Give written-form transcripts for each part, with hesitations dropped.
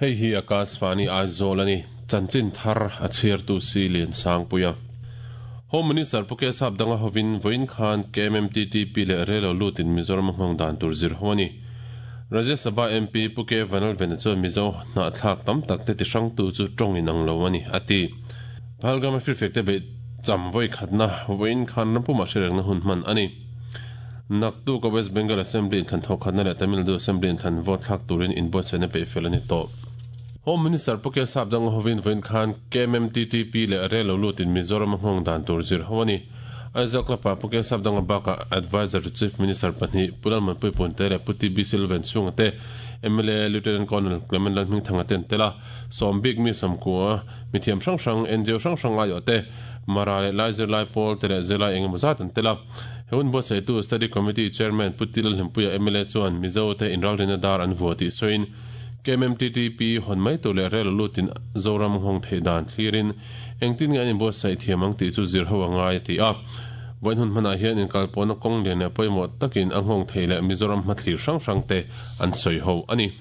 Hei hi Akashvani Aizawl a ni. Chanchin thar a chhiartu si Liansangpuia. Home Minister Pu Kesap danga hovin vawiin khan KMMTTP leh Rel lo lutin Mizoram a nghawng dan tur zir ho a ni. Rajya Sabha MP Pu K Vanlalvena chuan Mizo hnahthlak tam tak te tihrangtu chu tawng inang lo a ni, a ti. Pahalgam-a firfiak te beih cham vawi khatna vawiin khan rampumah hriatrengna hun hman a ni. Naktuk a West Bengal Assembly inthlan thawhkhatna leh Tamil Nadu Assembly inthlan vote thlak turin inbuatsaihna peih fel a ni tawh. Home Minister Pu Kesap dang hovin vawiin khan KMMTTP leh rel lo lutin Mizoram a nghawng dan tur zir ho a ni. Aizawl Club-ah Pu Kesap danga bakah Adviser to Chief Minister pahnih Pu Lalmanpui Punte leh Pu TB Silven chhunga te, mla Lieutenant Colonel Clement Lalhmingthanga te an tel a. Sawm bik mi sawmkua, mithiam hrang hrang, NGO hrang hrang aiawh te, Mara leh Lai zirlai pawl te leh zirlai engemaw zat an tel a. He hun buatsaihtu Study Committee Chairman Pu Ti Lalhlimpuia mla chuan Mizo te inralrina dar an vua tih sawiin KMMTTP hawn mai tur leh rel lutin Zoram nghawng theih dan thlirin engtin nge an inbuatsaih thiam ang tih chu zir ho a ngai a ti a. Vawiin hun hmanah hian inkalpawhna kawng lian leh pawimawh takin a nghawng theih leh Mizoram hmathlir hrang hrang te an sawi ho a ni.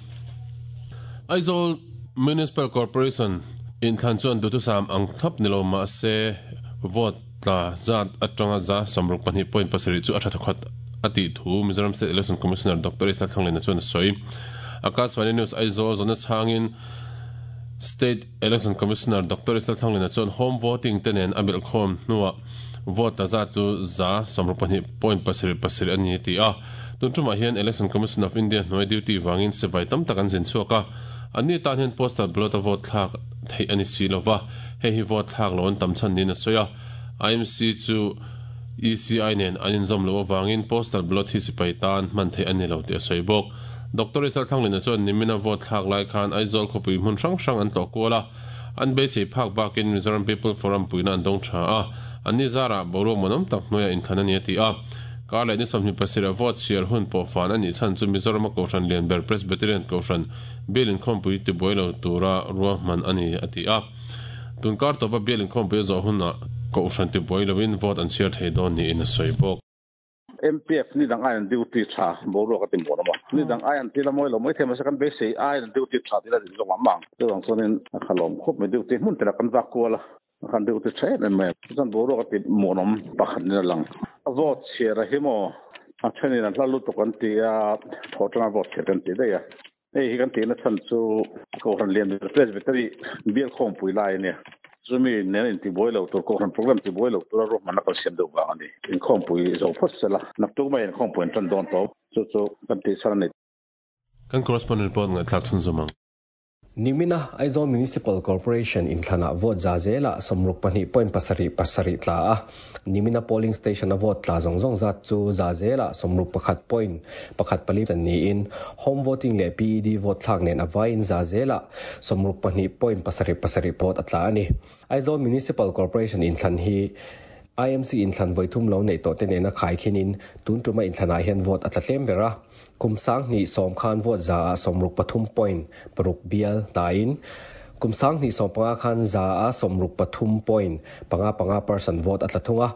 Aizawl Municipal Corporation inthlan chuan duhthusam ang thlap ni lo mah se vote tla zat atanga 62.7 chu a tha thawkhat a tih thu Mizoram State Election Commissioner Doctor Isa Thlanglena chuan a sawi. Akashvani News Aizawl zawhna chhangin State Election Commissioner Doctor Isa Thlanglena chuan home voting te nen a belhkhawm hnuah vote tla zat chu 62.77 a ni a ti a. Tun tumah hian Election Commission of India hnuai duty vangin sipai tam tak an zin chhuak a, anni tan hian postal ballot a vote thlak theih a ni si lo va, hei hi vote thlak lo an tam chhan niin a sawi a. IMC chu ECI nen an inzawm loh avangin postal ballot hi sipai tan hman theih a ni lo tih a sawi bawk. Doctor Isal Thlanglina chuan nimina vote thlak lai khan Aizawl khawpui hmun hrang hrang an tlawh kual a, an beisei phak bakin Mizoram People Forum puihna an dawng tha a, anni zarah boruak muanawm tak hnuaiah inthlan a ni a ti a. Kar leh ni 27 a vote chhiar hun pawh fan a nih chhan chu Mizorama Kohhran lian ber Presbyterian Kohhran bial inkhawmpui tibuai lo tura ruahman a ni a ti a. Tun kar tawpa bial inkhawmpui a zawh hunah Kohhran tibuai loin vote an chhiar thei dawn niin a sawi bawk. MPF ni dang aiin duty tha boruak a ti muan awm a, ni dang aiin thil a mawi lo mai thei mahse kan beisei aiin duty tha thil a nih zawk ang ang. Chuvang chuanin a khalawm khawp mai duty hmun tela kan vak kual a, a khan duty tha em em mai a. Chuan boruak a ti muan awm pakhat in a lang. A vote chhiar a hi maw a thenin a hla lutuk an ti a, thawh tanga vote chhiar kan ti daih a. Hei hi kan tihna chhan chu Kohhran lian ber Presbytery bial khawmpui lai a nia. Chumi nen intibuai lo tur, Kohhran program tibuai lo tura ruahmanna kan siam deuh vang a ni. Inkhawmpui zo phawt sela, naktuk mai inkhawmpui an tan dawn tawp. Chu chu kan tih chhan a ni. Kan correspondent pawh ngaihthlak chhunzawm ang. Nimina Aizawl Municipal Corporation inthlanah vote za zelah 62.77 tla a, nimina polling station-a vote tla zawng zawng zat chu za zelah 61.14 chan niin home voting leh PED vote thlak nen a vaiin za zelah 62.77 vote a tla a ni. Aizawl Municipal Corporation inthlan hi IMC inthlan vawi thum lo neih tawhte nena khaikhinin tun tuma inthlanah hian vote a tla tlem ber a. Kum 2010 khan vote za ah 63.6 bial tain kum 2015 khan za ah 63.55 percent vote a tla thung a.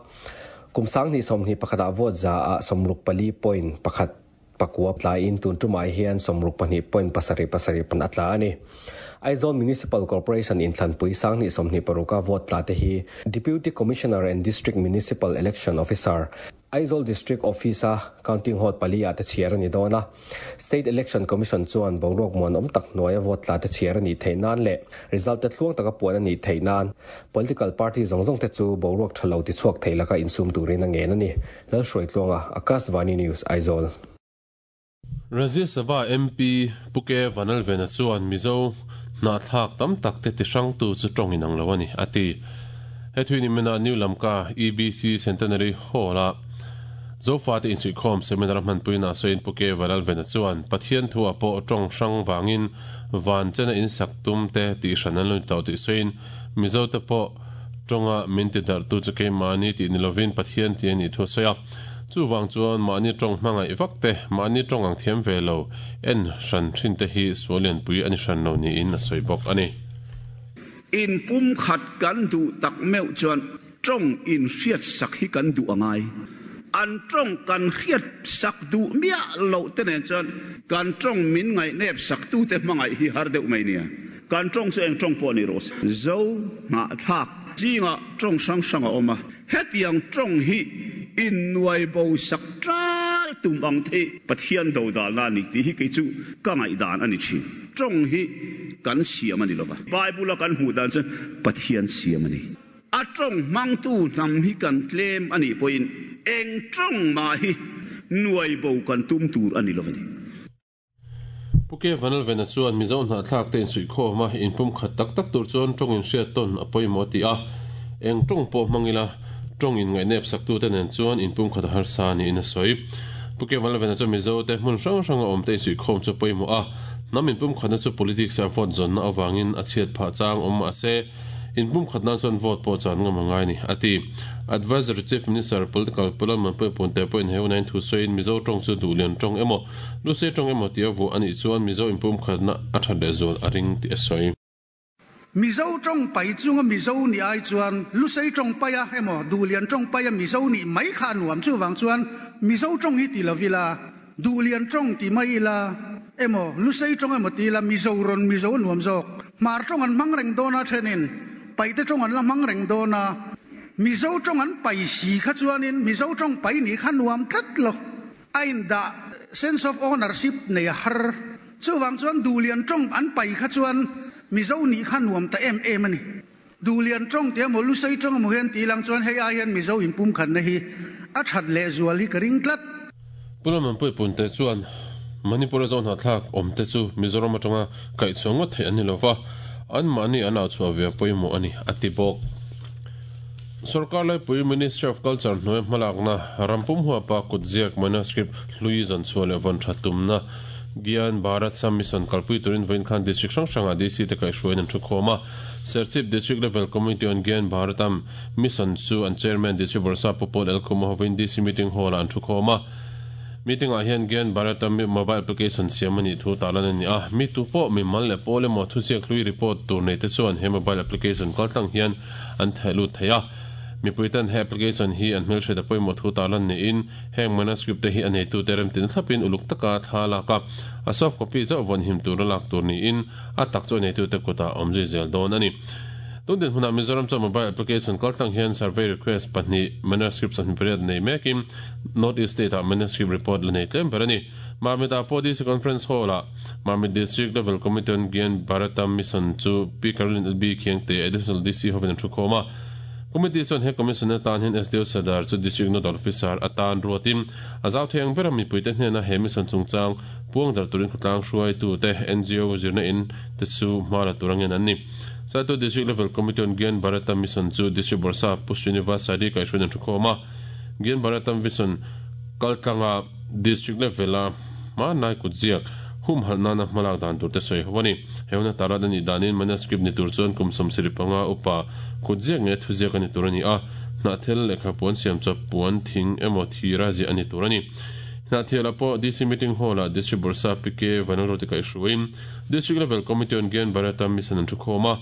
Kum 2021 ah vote za ah 64.19 tlain tun tumah hian 62.77 pan a tla a ni. Aizawl Municipal Corporation inthlanpui 2026 a vote tla te hi Deputy Commissioner and District Municipal Election Officer Aizawl District Office-a Counting Hall pali ah te chhiar a ni dawn a. State Election Commission chuan boruak muanawm tak hnuaia vote tla te chhiar a nih theih nan leh result te thluang taka puan a nih theih nan political party zawng zawng te chu boruak tha lo tichhuak thei laka insum turin a ngen a ni. Lalhruaitluanga, Akashvani News, Aizawl. Rajya Sabha MP Pu K Vanlalvena chuan Mizo hnahthlak tam tak te tihrangtu chu tawng inang lo a ni, a ti. He thui ni mena New Lamka EBC Centenary Hall-a Zofate insuihkhawm seminar a hmanpuina sawiin Pu K Vanlalvena chuan Pathian thu-ah pawh tawng hrang vangin van chena insak tum te tihhran an lo ni tawh tih sawiin Mizote pawh tawnga min tidarhtu chu keimahni tih ni lovin Pathian tih a nih thu a sawi a. Chuvang chuan mahni tawng hmangaih vak te, mahni tawng ang thiam ve lo, en hran thin te hi sual lianpui a ni hran lo niin a sawi bawk a ni. In pumkhat kan duh tak meuh chuan. Tawng inhriatsak hi kan duh a ngai. An tawng kan hriatsak duh miah loh te nen chuan kan tawng min ngaihnep saktute hmangaih hi har deuh mai nia. Kan tawng chu eng tawng pawh ni rawh se. Zo hnahthlak zingah tawng hrang hrang a awm a, hetiang tawng hi innuai bo sak tal tum ang te hi Pathian dodalna a ni tih hi kei chu ka ngaihdan a ni thin. Tawng hi kan siam a ni lova, Bible-a kan hmuh dan chuan Pathian siam a ni. A tawng hmangtu hnam hi kan tlem a nih pawhin eng tawng mah hi nuai bo kan tum tur a ni lo a ni. Pu K. Vanlalvena chuan Mizo hnahthlak te insuihkhawm a, inpumkhat tak tak tur chuan tawng inhriat tawn a pawimawh a ti a. Eng tawng pawh hmang ila, tawng inngaihnep saktute nen chuan inpumkhat a harsa niin a sawi. Pu K. Vanlalvena chuan Mizo te hmun hrang hranga awm te insuihkhawm chu a pawimawh a, hnam inpumkhatna chu politics ah vote zawnna avangin a chhiat phah chang awm mah se, Inpumkhat nan chuan vote pawh chan ngam a ngai ni, a ti. Advisory Chief Minister Political Pu Lalmanpuia Punte pawhin he hunain thu sawiin Mizo tawng chu duhlian tawng emaw, Lusei tawng emaw tia vuah a nih chuan Mizo inpumkhatna a that leh zual a ring tih a sawi. Mizo tawng pai chunga Mizo nih ai chuan Lusei tawng paia emaw Duhlian tawng paia Mizo nih mai kha a nuam. Chuvang chuan Mizo tawng hi ti lo ila, Duhlian tawng ti mai ila emaw, Lusei tawng emaw ti ila Mizo rawn Mizo a nuam zawk. Hmar tawng an hmang reng dawn a thenin Paihte tawng an la hmang reng dawn a, Mizo tawng an pai si kha chuanin Mizo tawng pai nih kha nuam tlat lo. A indah sense of ownership nei a har. Chuvang chuan Duhlian tawng an pai kha chuan Mizo nih kha nuam ta em em a ni. Duhlian tawng tih emaw Lusei tawng emaw hian tih lang chuan hei ai hian Mizo inpumkhatna hi a that lehzual hi ka ring tlat. Pu Lalmanpuii Punte chuan Manipur-a zo hnahthlak awmte chu Mizoram atanga kaihchhuah ngawt theih an ni lova, anmahni an auchhuah ve a pawimawh a ni, a ti bawk. Sorkar laipui Ministry of Culture hnuai hmalakna rampum huapa kutziak manuscript hlui zawnchhuah leh vawn that tumna Gyan Bharat Sam Mission kalpui turin vawiin khan district hrang hrangah DC te kaihhruaiin an thukhawm a. Serchhip District Level Committee on Gyan Bharatam Mission chu an Chairman District Bawrhsap Pu Paul L. Khuma hovin DC Meeting Hall-ah an thukhawm a. Meeting-ah hian Gyan Bharatam mobile application siam a nih thu tarlan a ni a. Mi tu pawh mimal leh pawl emaw thuziak hlui report tur nei te chuan he mobile application kaltlang hian an theh lut thei a. Mipui ten he application hi an hmelhriat a pawimawh thu tarlan niin heng manuscript te hi a neitute remtin thlapin uluk taka thla lak a, a soft copy chauh vawnhim tura lak tur niin a tak chu a neitute kutah a awm zui zel dawn a ni. Tun dinhmunah Mizoram chuan mobile application kaltlang hian survey request pahnih manuscript 28 nei mekin North East State-ah manuscript report la nei tlem ber a ni. Mamit-ah pawh DC Conference Hall-ah Mamit District Level Committee on Gyan Bharatam Mission chu Pi Caroline LB Khiangte Additional DC hovin an thukhawm a. Committee chuan he Commission atan hian SDO Sadar chu District Nodal Officer atan ruatin a zau thei ang bera mipuite hnena he mission chungchang puang dar turin khawtlang hruaitute, NGO, zirna in te chu hma la tur angin an ni. Saito District Level Committee on Gyan Bharatam Mission chu District Bawrhsap Pu Srinivas Sari kaihhruaiin an thukhawm a. Gyan Bharatam Mission kaltlanga District level-a hmanlai kutziak humhalh nana hmalak dan tur te sawi ho a ni. He huna tarat a nih danin manuscript ni tur chuan kum 75 upa kutziak nge thuziak a ni tur a ni a, hnahthel lehkha puan siam chawp puan thing emaw thira ziah a ni tur a ni. Hnahthialah pawh DC Meeting Hall-ah District Bawrhsap PK Vanlalruati kaihhruaiin District Level Committee on Gyan Bharatam Mission an thukhawm a.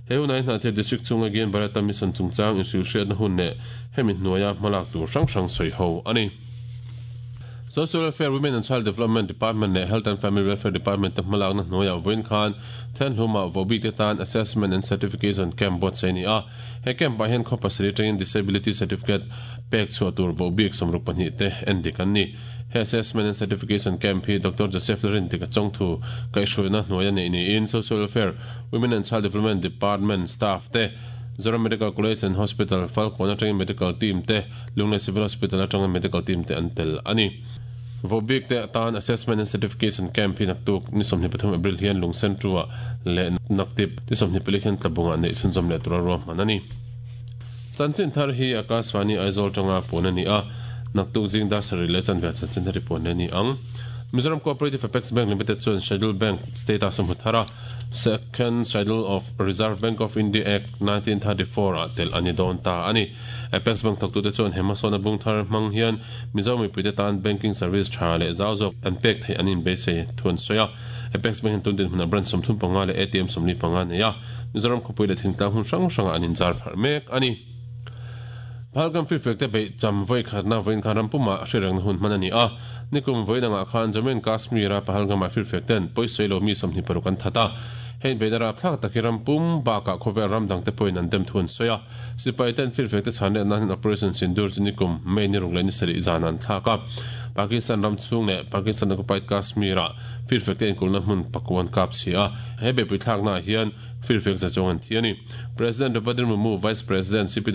He hunah hi Hnahthial District chhunga Gyan Bharatam Mission chungchang inhrilhhriatna hun leh hemi hnuaia hmalak tur hrang hrang sawi ho a ni. Social Welfare, Women and Child Development Department leh Health and Family Welfare Department te hmalakna hnuaiah vawiin khan Thenhlumah vohbik te tan Assessment and Certification Camp buatsaih a ni a. He camp ah hian khaw pasarih atangin Disability Certificate pek chhuah tur vohbik 62 te en dik an ni. He Assessment and Certification Camp hi Doctor Joseph Larintik a chawngthu kaihhruaina hnuaia neih niin Social Welfare, Women and Child Development Department staff te, Zoram Medical College and Hospital, Falkawn atangin Medical Team te, Lunglei Civil Hospital atanga Medical Team te an tel a ni. Vohbik te atan Assessment and Certification Camp hi naktuk ni 23 April hian Lungsen Ṭu-ah leh Naktip ni 24 hian Tlabungah neih chhunzawm leh tura ruahman a ni. Chanchin thar hi Akashvani Aizawl tanga puan a ni a, naktuk zing dar sarih leh chanve ah chanchin thar hi puan leh a ni ang. Mizoram Cooperative Apex Bank Limited chuan Schedule Bank status a hmu thar a. Second Schedule of Reserve Bank of India Act, 1934 ah telh a ni dawn ta a ni. Apex Bank thawktute chuan he hmasawnna bung thar hmang hian Mizo mipuite tan banking service tha leh zau zawk an pek theih an inbeisei thu an sawi a. Apex Bank hian tun dinhmunah branch 35 leh ATM 45 a nei a, Mizoram khawpui leh thingtlang hmun hrang hrangah an inzar pharh mek a ni. Pahalgam firfiak te beih cham vawi khatna vawiin khan ram pumah hrerengna hun hman a ni a. Nikum vawiin angah khan Jammu and Kashmir-a Pahalgam-ah firfiak ten pawisawi lo mi 26 an that a. Hei inbeihna rapthlak tak hi ram pum bakah khawvel ram dangte pawhin an dem thu an sawi a. Sipai ten firfiak te chhan leh nan Operation Sindoor chu nikum May ni ruk leh ni sarih zan an thlak a. Pakistan ram chhung leh Pakistan occupied Kashmir-ah firfiak te inkulhna hmun pakuan kap chhia a. He beihpui thlaknaah hian firfiak za chuang an thi a ni. President Draupadi Murmu, Vice President CP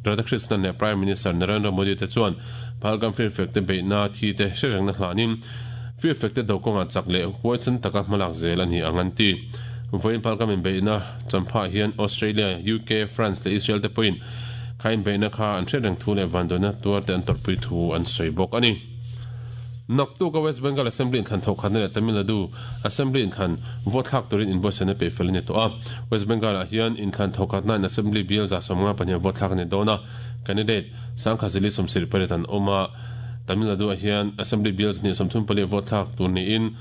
Radhakrishnan leh Prime Minister Narendra Modi te chuan Pahalgam firfiak te beihna thi te hre rengna hlanin firfiak te do kawngah chak leh huaisen taka hmalak zel a ni ang an ti. Vawiin Pahalgam inbeihna champhaah hian Australia, UK, France leh Israel te pawhin kha inbeihna kha an hriat reng thu leh vanduaina tuar te an tawrhpui thu an sawi bawk a ni. Naktuk a West Bengal Assembly inthlan thawhkhatna leh Tamil Nadu Assembly inthlan vote thlak turin inbuatsaihna peih fel a ni tawh a. West Bengal ah hian inthlan thawhkhatna in Assembly bial 75 vote thlak a ni dawn a, candidate Sangkhazili 78 an awm a. Tamil Nadu ah hian Assembly bial 134 vote thlak tur niin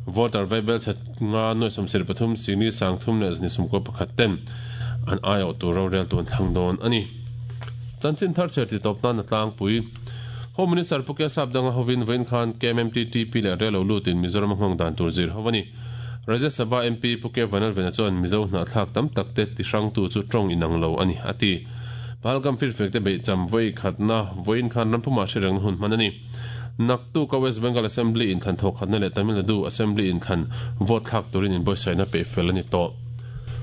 voter vaibel chhe nga nuai 73 singli 300 leh 191 ten an aiawh tur roreltu an thlang dawn a ni. Chanchin thar chher ti tawp nan a tlangpui. Home Minister Pu Kesap Danga hovin vawiin khan KMMTTP leh rel lo lutin Mizoram a nghawng dan tur zir ho a ni. Rajya Sabha MP Pu K Vanlalvena chuan Mizo hnahthlak tam tak te tihrangtu chu tawng inang lo a ni, a ti. Pahalgam firfiak te beih cham vawi khatna vawiin khan rampumah hre rengna hun hman a ni. Naktuka West Bengal Assembly inthlan thawkhatna leh Tamil Nadu Assembly inthlan vote thlak turin inbuatsaihna peih fel a ni tawh.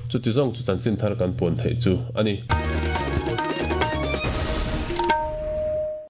Chuti zawng chu chanchin thar kan puan theih chu a ni.